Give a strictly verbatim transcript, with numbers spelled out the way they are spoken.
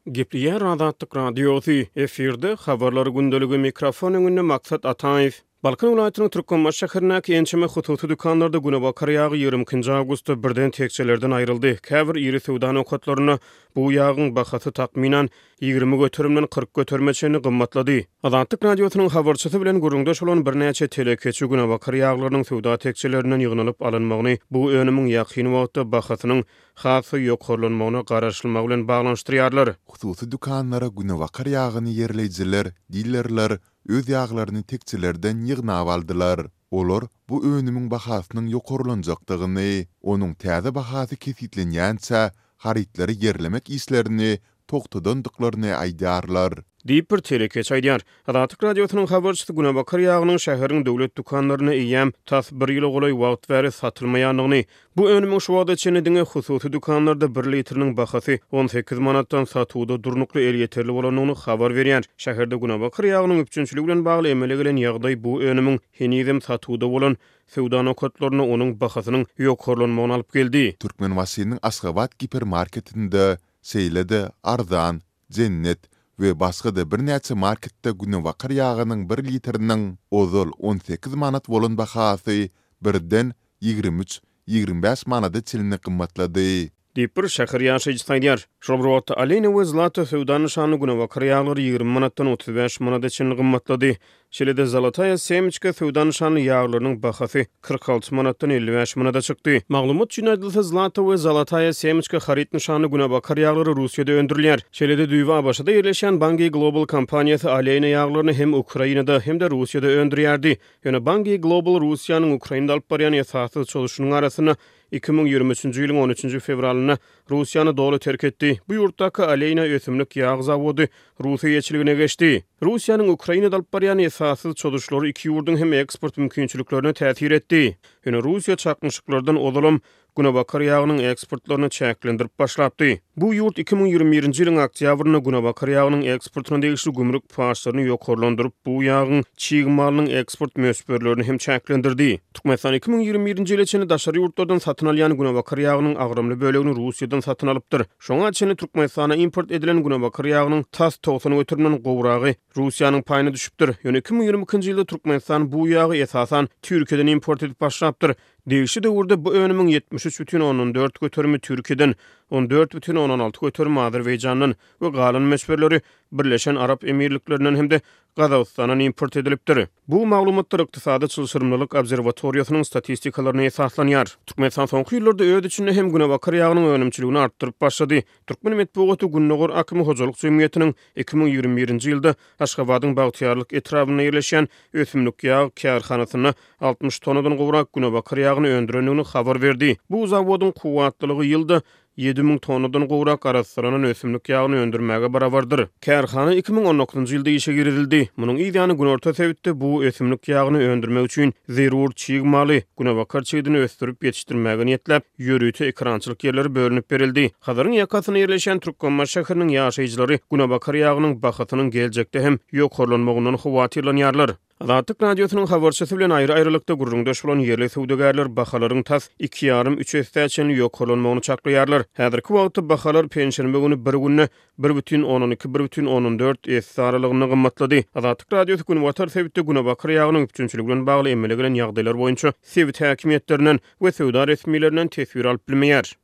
Gepleýär Azatlyk Radiosy, efirde Habarlar gündeligi, mikrofon öňünde Maksat Ataýew. Balkan welaýatynyň Türkmenbaşy şäherindäki ençeme hususy dükanlarda günebakar ýagy ýigrimi ikinji awgustda birden tekjelerden aýryldy. Käbir iri söwda nokatlarynda bu ýagyň bahasy takmynan ýigrimi göterimden kyrk göterime çenli gymmatlady. Azatlyk Radiosynyň habarçysy bilen gürrüňdeş bolan birnäçe telekeçi günebakar ýaglarynyň söwda tekjelerinden ýygnalyp alynmagyny bu önümiň ýakyn wagtda bahasynyň has-da ýokarlanmagyna garaşylmagy bilen baglanyşdyrýarlar. Hususy dükanlara günebakar ýagyny ýerleýjiler, dilerler öz ýaglaryny tekjelerden ýygnap aldylar. Olar bu önümiň bahasynyň ýokarlanjakdygyny, onuň täze bahasy kesgitlenýänçä harytlary ýerlemek işlerini togtadandyklaryny aýdýarlar. Diýip, bir telekeçi aýdýar. Azatlyk Radiosynyň habarçysy günebakar ýagynyň şäheriň döwlet dükanlarynda eýýäm tas bir ýyla golaý wagt bäri satylmaýandygyny, bu önümiň şu wagta çenli diňe hususy dükanlarda bir litriniň bahasy on sekiz manatdan satuwda durnukly elýeterli bolandygyny habar berýär. Şäherde günebakar ýagynyň üpjünçiligi bilen bagly emele gelen ýagdaý bu önümiň henizem satuwda bolan söwda nokatlarynda onuň bahasynyň ýokarlanmagyna alyp geldi. Türkmenbaşynyň Aşgabat gipermarketinde, şeýle-de Arzan, Jennet we başga-da birnäçe marketde günebakar ýagynyň bir litriniň ozal on sekiz manat bolan bahasy birden ýigrimi üç, ýigrimi bäş manada çenli gymmatlady. Diýip, bir şäher ýaşaýjysy aýdýar. Şol bir wagtda, Alena we Zlata söwda nyşanly günebakar ýaglary ýigrimi manatdan otuz bäş manada çenli gymmatlady. Şeýle-de Zolotaya Semçka söwda nyşanly ýaglarynyň bahasy kyrk alty manatdan elli bäş manada çykdy. Maglumat üçin aýdylsa, Zlata we Zolotaya Semçka haryt nyşanly günebakar ýaglary Russiýada öndürilýär. Şeýle-de düýbi ABŞ-da ýerleşýän Bunge Global kompaniýasy Alena ýaglaryny hem Ukrainada, hem-de Russiýada öndürýärdi. Ýöne Bunge Global Russiýanyň Ukrainada alyp barýan esassyz çozuşynyň arasynda iki müň ýigrimi üçünji ýylyň on üçünji fewralynda Russiýany doly terk etdi. Bu ýurtdaky Alena ösümlik ýag zawody rus eýeçiligine geçdi. Russiýanyň Ukrainada alyp barýan esassyz çozuşlary iki ýurduň hem eksport mümkinçiliklerine täsir etdi. Ýöne Russiýa çaknyşyklardan ozalam günebakar ýagynyň eksportlaryny çäklendirip başlapdy. Bu ýurt iki müň ýigrimi birinji ýylyň oktýabrynda günebakar ýagynyň eksportyna degişli gümrük paçlaryny ýokarlandyryp, bu ýagyň çig malynyň eksport möçberlerini hem çäklendirdi. Türkmenistan iki müň ýigrimi birinji ýyla çenli daşary ýurtlardan satyn alýan günebakar ýagynyň agramly bölegini Russiýadan satyn alypdyr. Şoňa çenli Türkmenistana import edilen günebakar ýagynyň tas togsan göterimden gowragy Russiýanyň paýyna düşüpdir. Ýöne iki müň ýigrimi ikinji ýylda Türkmenistan bu ýagy esasan Türkiýeden import edip başlapdyr. Degişli döwürde bu önümiň ýetmiş üç bütin ondan dört göterimi Türkiýeden, on dört bütin ondan alty göterimi Azerbaýjandan we galan möçberleri Birleşen Arap Emirliklerinden hem-de Gazagystandan import edilipdir. Bu maglumatlar Ykdysady çylşyrymlylyk obserwatoriýasynyň statistikalaryna esaslanýar. Türkmenistan soňky ýyllarda öz içinde hem günebakar ýagynyň önümçiligini artdyryp başlady. Türkmen metbugaty Gündogar akymy hojalyk jemgyýetiniň iki müň ýigrimi birinji ýylda Aşgabadyň Bagtyýarlyk etrabynda ýerleşýän ösümlik ýag kärhanasynda altmyş tonnadan gowrak günebakar ýagyny öndürendigini habar berdi. Bu zawodyň kuwwatlylygy ýylda ýedi müň tonnadan gowrak arassalanan ösümlik ýagyny öndürmäge barabardyr. Kärhana iki müň on dokuzynjy ýylda işe girizildi. Munuň yz ýany günorta sebitde bu ösümlik ýagyny öndürmek üçin zerur çig maly, günebakar çigidini ösdürip ýetişdirmäge niýetläp, ýörite ekerançylyk ýerleri bölünip berildi. Hazaryň ýakasynda ýerleşýän Türkmenbaşy şäheriniň ýaşaýjylary günebakar ýagynyň bahasynyň geljekde hem ýokarlanmagyndan howatyrlanýarlar. Azatlyk Radiosynyň habarçysy bilen aýry-aýrylykda gürrüňdeş bolan ýerli söwdagärler bahalaryň tas iki ýarym-üç essä çenli ýokarlanmagyny çaklaýarlar. Häzirki wagtda bahalar penşenbe güni bir günde bir bütin ondan iki, bir bütin ondan dört esse aralygynda gymmatlady. Azatlyk Radiosy günbatar sebitde günebakar ýagynyň üpjünçiligi bilen bagly emele gelen ýagdaýlar boýunça sebit häkimiýetlerinden we söwda resmilerinden teswir alyp bilmeýär.